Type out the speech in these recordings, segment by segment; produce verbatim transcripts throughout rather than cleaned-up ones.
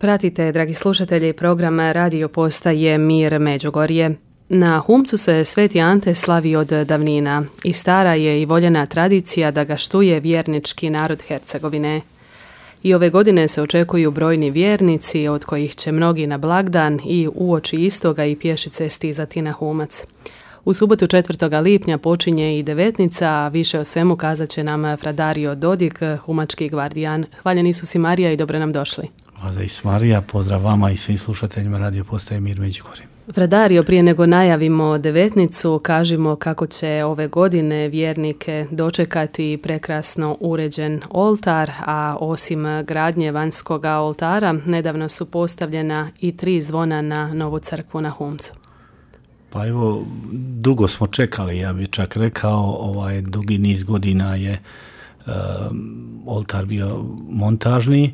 Pratite, dragi slušatelji, program radio postaje Mir Međugorje. Na Humcu se Sveti Ante slavi od davnina i stara je i voljena tradicija da ga štuje vjernički narod Hercegovine. I ove godine se očekuju brojni vjernici, od kojih će mnogi na blagdan i uoči istoga i pješice stizati na Humac. U subotu četvrtog lipnja počinje i devetnica, a više o svemu kazat će nam Fradario Dodik, humački gvardijan. Hvaljen Isus i Marija i dobro nam došli. Hvala Isus Marija, pozdrav vama i svim slušateljima radio postaje Mir Međugorje. Fradario, prije nego najavimo devetnicu, kažimo kako će ove godine vjernike dočekati prekrasno uređen oltar, a osim gradnje vanjskog oltara, nedavno su postavljena i tri zvona na novu crkvu na Humcu. Pa evo, dugo smo čekali, ja bih čak rekao, ovaj dugi niz godina je uh, oltar bio montažni,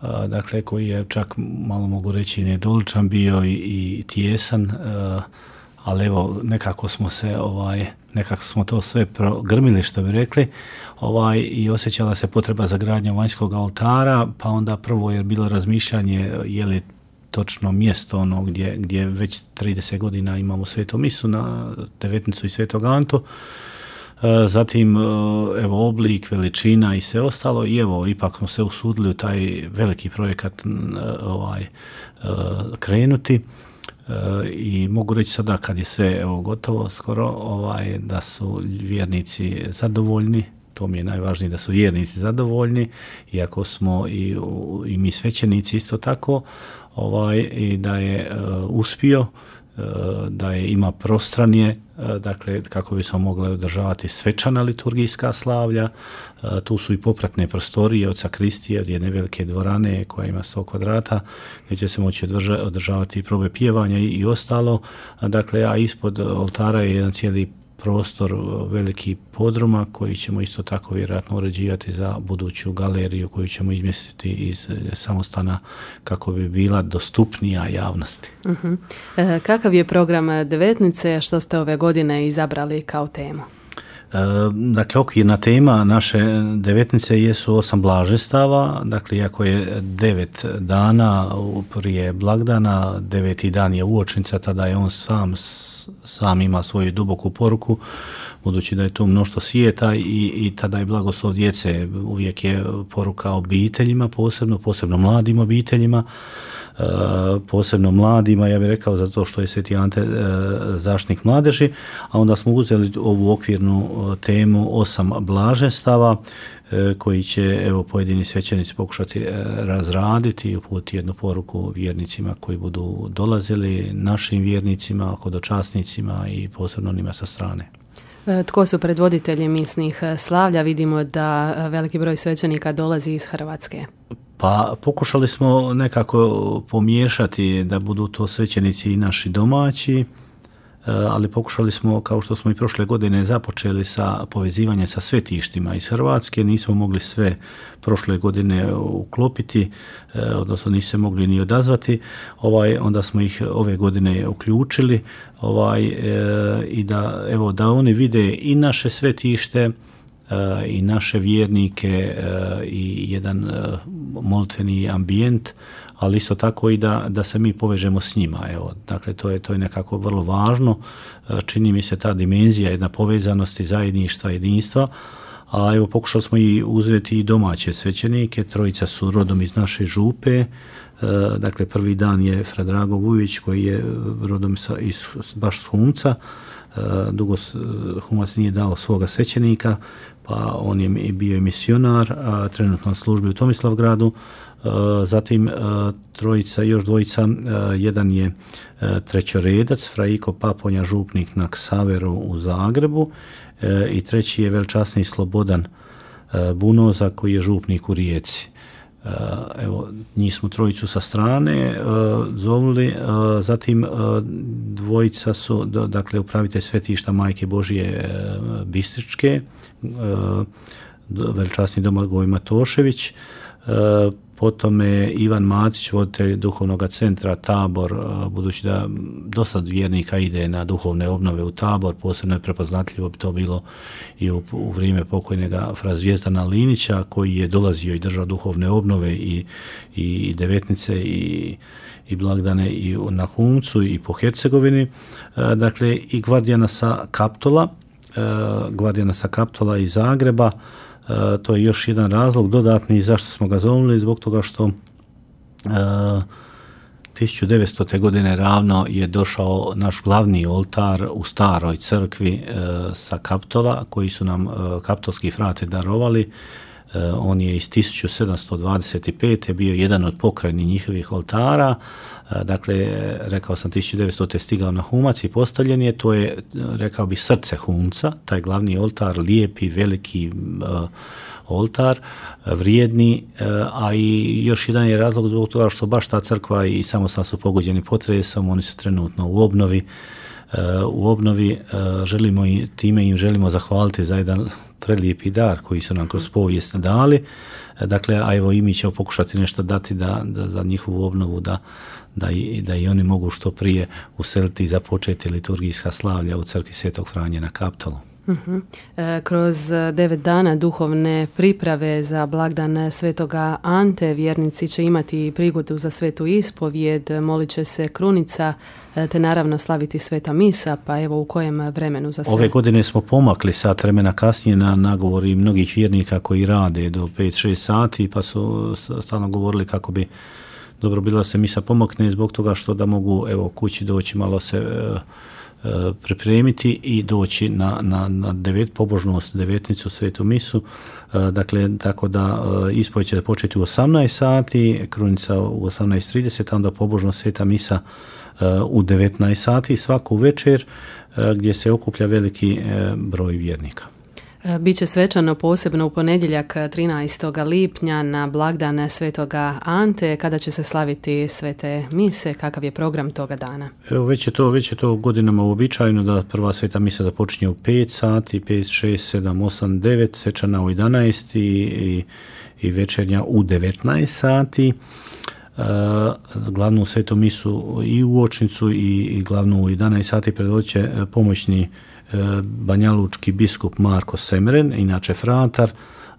uh, dakle koji je čak, malo mogu reći, nedoličan bio i, i tijesan, uh, ali evo nekako smo se, ovaj, nekako smo to sve grmili, što bi rekli, ovaj, i osjećala se potreba za gradnjom vanjskog oltara, pa onda prvo je bilo razmišljanje je li točno mjesto ono gdje, gdje već trideset godina imamo svetu misu na devetnicu i svetog Antu. Zatim evo oblik, veličina i sve ostalo i evo ipak smo se usudili u taj veliki projekat ovaj, krenuti. I mogu reći sada kad je sve evo gotovo skoro ovaj, da su vjernici zadovoljni. To mi je najvažnije, da su vjernici zadovoljni, iako smo i, i mi svećenici isto tako, ovaj, i da je uh, uspio, uh, da je ima prostranije, uh, dakle kako bi smo mogli održavati svečana liturgijska slavlja. Uh, tu su i popratne prostorije od sakristije, od jedne velike dvorane koja ima sto kvadrata, gdje će se moći održa, održavati probe pjevanja i, i ostalo. Uh, dakle, a ispod oltara je jedan cijeli prostor veliki podruma koji ćemo isto tako vjerojatno uređivati za buduću galeriju koju ćemo izmjestiti iz samostana kako bi bila dostupnija javnosti. Uh-huh. E, kakav je program devetnice, što ste ove godine izabrali kao temu? E, dakle, okvirna tema naše devetnice jesu osam blaženstava, dakle, iako je devet dana prije blagdana, deveti dan je uočnica, tada je on sam sam ima svoju duboku poruku, budući da je tu mnoštvo svijeta i, i tada je blagoslov djece, uvijek je poruka obiteljima, posebno, posebno mladim obiteljima, e, posebno mladima, ja bih rekao, zato što je Sveti Ante e, zaštitnik mladeži, a onda smo uzeli ovu okvirnu temu osam blaženstava, koji će evo pojedini svećenici pokušati razraditi i uputiti jednu poruku vjernicima koji budu dolazili, našim vjernicima, hodočasnicima i posebno onima sa strane. Tko su predvoditelji misnih slavlja? Vidimo da veliki broj svećenika dolazi iz Hrvatske. Pa pokušali smo nekako pomiješati da budu to svećenici i naši domaći, ali pokušali smo, kao što smo i prošle godine započeli sa povezivanjem sa svetištima iz Hrvatske, nismo mogli sve prošle godine uklopiti, odnosno nisu se mogli ni odazvati, ovaj, onda smo ih ove godine uključili ovaj, e, i da, evo, da oni vide i naše svetište, e, i naše vjernike e, i jedan e, molitveni ambijent, ali isto tako i da, da se mi povežemo s njima. Evo, dakle, to je, to je nekako vrlo važno. Čini mi se ta dimenzija jedna povezanosti, zajedništva, jedinstva. A evo, pokušali smo i uzeti i domaće svećenike. Trojica su rodom iz naše župe. Dakle, prvi dan je Fra Drago Vujović koji je rodom iz, baš s Humca. Dugo Humac nije dao svoga svećenika, pa on je bio i misionar, a trenutno na službi u Tomislavgradu. Zatim trojica, još dvojica, jedan je trećoredac, Fra Iko Paponja, župnik na Ksaveru u Zagrebu, i treći je velčasni Slobodan Bunoza koji je župnik u Rijeci. Evo, njih smo trojicu sa strane zovuli, zatim dvojica su, dakle, upravitelj svetišta Majke Božije Bistričke, velčasni Domagoj Matošević, potom je Ivan Matić, voditelj duhovnog centra Tabor, budući da dosta vjernika ide na duhovne obnove u Tabor, posebno je prepoznatljivo bi to bilo i u, u vrijeme pokojnega fra Zvijezdana Linića, koji je dolazio i držao duhovne obnove i, i devetnice i, i blagdane i na Humcu i po Hercegovini. Dakle, i Gvardijana sa Kaptola, Gvardijana sa Kaptola iz Zagreba. Uh, to je još jedan razlog dodatni zašto smo ga zovnuli, zbog toga što uh, tisuću devetstote. godine ravno je došao naš glavni oltar u staroj crkvi uh, sa Kaptola, koji su nam uh, kaptolski frate darovali. Uh, on je iz tisuću sedamsto dvadeset pete. bio jedan od pokrajnih njihovih oltara. Uh, dakle, rekao sam, tisuću devetstote. stigao na Humac i postavljen je. To je, rekao bi, srce Humca, taj glavni oltar, lijepi, veliki uh, oltar, vrijedni, uh, a i još jedan je razlog zbog toga što baš ta crkva i samostan su pogođeni potresom, oni su trenutno u obnovi. Uh, u obnovi uh, želimo i time im želimo zahvaliti za jedan prelijepi dar koji su nam kroz povijest dali. Uh, dakle, a evo i mi ćemo pokušati nešto dati da, da za njihovu obnovu da Da i, da i oni mogu što prije useliti i započeti liturgijska slavlja u crkvi Svetog Franje na Kaptolu. Uh-huh. E, kroz devet dana duhovne priprave za blagdan Svetoga Ante vjernici će imati prigodu za svetu ispovijed, molit će se krunica, te naravno slaviti sveta misa, pa evo u kojem vremenu za sve? Ove godine smo pomakli sat vremena kasnije na nagovori mnogih vjernika koji rade do pet šest sati, pa su stalno govorili kako bi dobro bilo da se misa pomakne zbog toga što da mogu evo kući doći malo se e, e, pripremiti i doći na, na, na devet pobožnost, devetnicu, svetu misu. E, dakle, tako da e, ispovijed će početi u osamnaest sati, krunica u osamnaest trideset, onda pobožnost sveta misa e, u devetnaest sati svaku večer e, gdje se okuplja veliki e, broj vjernika. Biće svečano posebno u ponedjeljak trinaestog lipnja na blagdan Svetoga Ante, kada će se slaviti svete mise. Kakav je program toga dana? Evo, već je to, već je to godinama uobičajeno da prva sveta misa započinje u pet sati, pet, šest, sedam, osam, devet, svečana u jedanaest i, i, i večernja u devetnaest sati. Uh, glavnu svetu misu i u Očnicu i, i glavnu u jedanaest sati predvodit će pomoćni banjalučki biskup Marko Semren, inače fratar.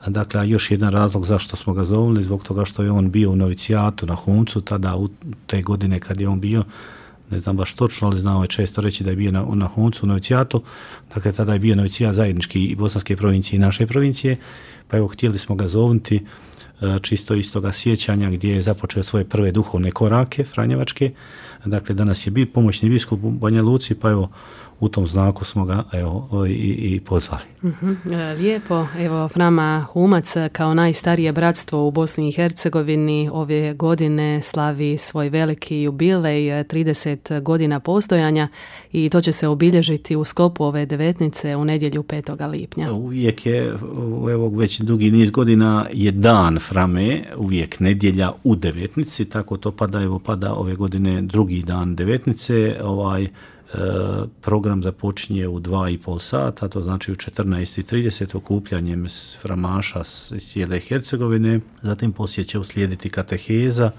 Dakle, još jedan razlog zašto smo ga zovili, zbog toga što je on bio u novicijatu na Humcu, tada u te godine kad je on bio, ne znam baš točno, ali znao je često reći da je bio na, na Humcu u novicijatu. Dakle, tada je bio novicijat zajednički i bosanske provincije i naše provincije, pa evo htjeli smo ga zovnuti čisto iz toga sjećanja gdje je započeo svoje prve duhovne korake franjevačke. Dakle, danas je bio pomoćni biskup u Banja Luci, pa evo u tom znaku smo ga evo, i, i pozvali. Uh-huh. Lijepo. Evo, Frama Humac kao najstarije bratstvo u Bosni i Hercegovini ove godine slavi svoj veliki jubilej, trideset godina postojanja, i to će se obilježiti u sklopu ove devetnice u nedjelju petog lipnja. Uvijek je, evo, već dugi niz godina je dan Frame, uvijek nedjelja u devetnici, tako to pada, evo pada ove godine drugi dan devetnice, ovaj program započinje u dva i pol sata, to znači u četrnaest i trideset okupljanjem framaša iz cijele Hercegovine, zatim poslije će uslijediti kateheza,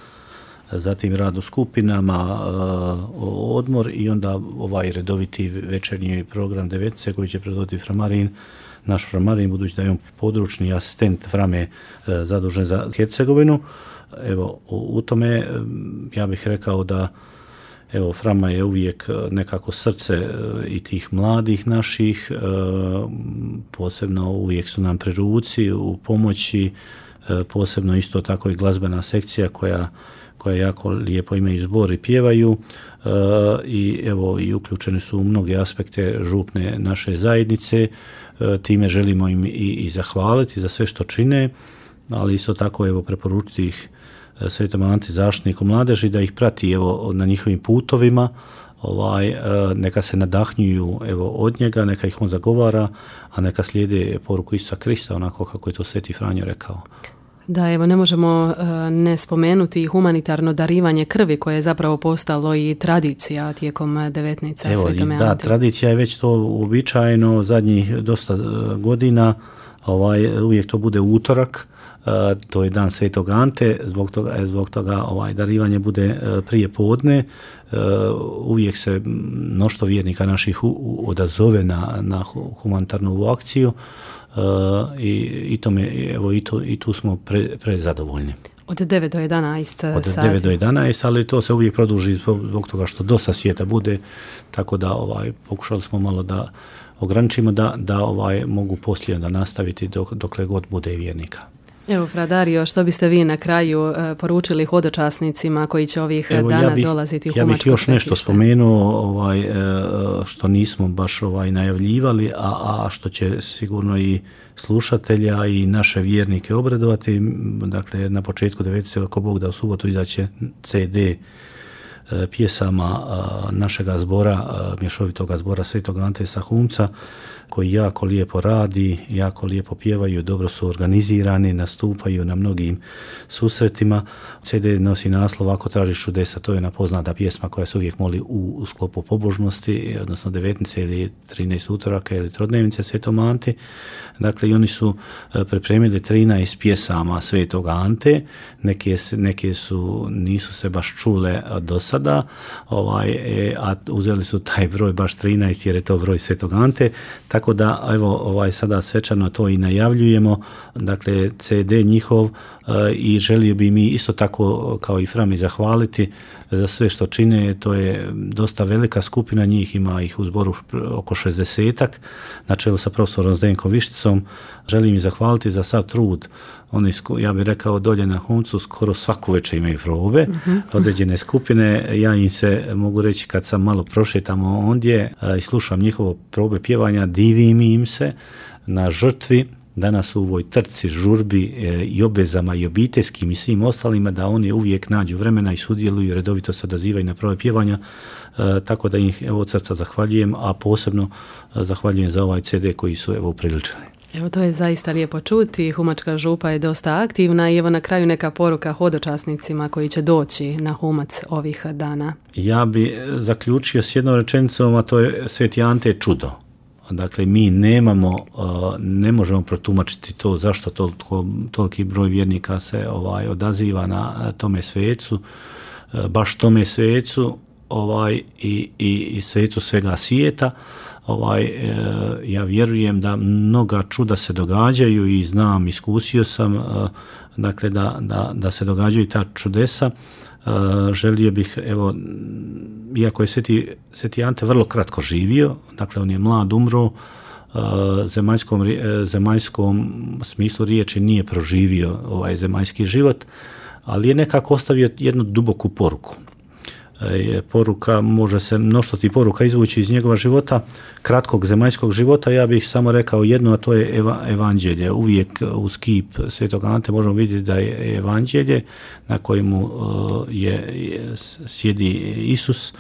zatim rad u skupinama, odmor i onda ovaj redoviti večernji program devetnice koji će predvoditi framarin, naš framarin, budući da je on područni asistent Frame zadužen za Hercegovinu. Evo, u tome ja bih rekao da evo, Frama je uvijek nekako srce i tih mladih naših, posebno uvijek su nam pri ruci, u pomoći, posebno isto tako i glazbena sekcija koja, koja jako lijepo imaju zbor i pjevaju i evo i uključeni su u mnoge aspekte župne naše zajednice, time želimo im i, i zahvaliti za sve što čine, ali isto tako evo preporučiti ih Svetom Anti zaštitniku mladeži da ih prati evo na njihovim putovima, ovaj neka se nadahnjuju evo od njega, neka ih on zagovara, a neka slijede poruku Isusa Krista onako kako je to Sveti Franjo rekao. Da, evo ne možemo uh, ne spomenuti humanitarno darivanje krvi koje je zapravo postalo i tradicija tijekom devetnica Svetome Anti. Da, tradicija je već to uobičajeno zadnjih dosta godina, ovaj uvijek to bude utorak to je dan Svetog Ante, zbog toga, zbog toga ovaj, darivanje bude prije podne. Uvijek se mnoštvo vjernika naših odazove na, na humanitarnu akciju i, i, tome, evo, i, to, i tu smo pre, prezadovoljni. Od devet do jedanaest Od sati. devet do jedanaest, ali to se uvijek produži zbog toga što dosta svijeta bude, tako da ovaj, pokušali smo malo da ograničimo da, da ovaj, mogu poslije da nastaviti dok, dokle god bude i vjernika. Evo, Fra Dario, što biste vi na kraju uh, poručili hodočasnicima koji će ovih Evo, dana ja bih, dolaziti u Humačko svetište? Ja bih još svetište. nešto spomenuo ovaj, što nismo baš ovaj, najavljivali, a, a što će sigurno i slušatelja i naše vjernike obradovati. Dakle, na početku devetnaestog ako Bog da u subotu izaće ce de pjesama našega zbora, mješovitoga zbora Svetog Ante sa Humca, koji jako lijepo radi, jako lijepo pjevaju, dobro su organizirani, nastupaju na mnogim susretima. ce de nosi naslov Ako tražiš čudesa, to je jedna poznata pjesma koja se uvijek moli u, u sklopu pobožnosti, odnosno devetnice ili trinaest utoraka ili trodnevnice Svetom Ante. Dakle, i oni su pripremili trinaest pjesama Svetog Ante, neke, neke su, nisu se baš čule do sada, ovaj, a uzeli su taj broj baš trinaest jer je to broj Svetog Ante. Tako da, evo, ovaj, sada svečano to i najavljujemo, dakle, ce de njihov uh, i želio bi mi isto tako kao i Frami zahvaliti za sve što čine. To je dosta velika skupina njih, ima ih u zboru oko šezdesetak, na čelu sa profesorom Zdenkom Višticom. Želim im zahvaliti za sav trud. Oni, ja bih rekao, dolje na Humcu skoro svaku večer imaju probe, uh-huh. određene skupine. Ja im se mogu reći kad sam malo prošetamo ondje i slušam njihovo probe pjevanja, divim im se na žrtvi danas u ovoj trci, žurbi i obvezama i obiteljskim i svim ostalima, da oni uvijek nađu vremena i sudjeluju, redovito se odazivaju na probe pjevanja, tako da ih evo od srca zahvaljujem, a posebno zahvaljujem za ovaj ce de koji su evo upriličili. Evo, to je zaista lijepo čuti. Humačka župa je dosta aktivna i evo na kraju neka poruka hodočasnicima koji će doći na Humac ovih dana. Ja bi zaključio s jednom rečenicom, a to je Sveti Ante je čudo. Dakle, mi nemamo, ne možemo protumačiti to zašto toliko, toliki broj vjernika se ovaj, odaziva na tome svecu, baš tome svecu ovaj, i, i, i svecu svega svijeta. Ovaj, ja vjerujem da mnoga čuda se događaju i znam, iskusio sam dakle, da, da, da se događaju ta čudesa. Želio bih, evo, iako je Sveti, Sveti Ante vrlo kratko živio, dakle on je mlad umro, zemaljskom, zemaljskom smislu riječi nije proživio ovaj zemaljski život, ali je nekako ostavio jednu duboku poruku. Poruka, može se mnoštvo ti poruka izvući iz njegova života, kratkog zemaljskog života. Ja bih samo rekao jedno, a to je eva, evanđelje. Uvijek uz kip Svetog Ante možemo vidjeti da je evanđelje na kojemu je, je sjedi Isus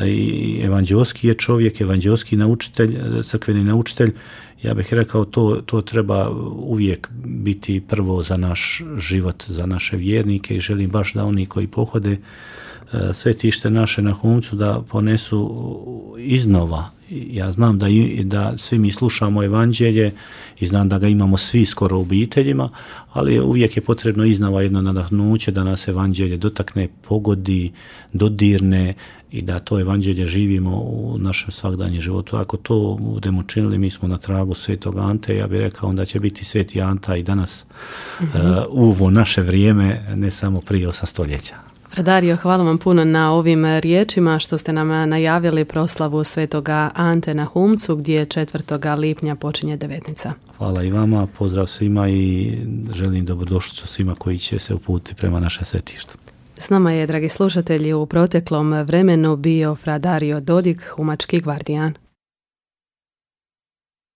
i evanđelski je čovjek, evanđelski naučitelj, crkveni naučitelj. Ja bih rekao to, to treba uvijek biti prvo za naš život, za naše vjernike i želim baš da oni koji pohode svetište naše na Humcu da ponesu iznova. Ja znam da, i, da svi mi slušamo evanđelje i znam da ga imamo svi skoro u obiteljima, ali uvijek je potrebno iznova jedno nadahnuće da nas evanđelje dotakne, pogodi, dodirne i da to evanđelje živimo u našem svakdanjem životu. Ako to budemo činili, mi smo na tragu Svetog Ante. Ja bih rekao onda će biti Sveti Anta i danas mm-hmm. uh, u ovo naše vrijeme, ne samo prije osam stoljeća. Fra Dario, hvala vam puno na ovim riječima što ste nam najavili proslavu Svetoga Ante na Humcu gdje četvrtog lipnja počinje devetnica. Hvala i vama, pozdrav svima i želim dobrodošlicu svima koji će se uputiti prema našem svetištu. S nama je, dragi slušatelji, u proteklom vremenu bio Fra Dario Dodik, humački gvardijan.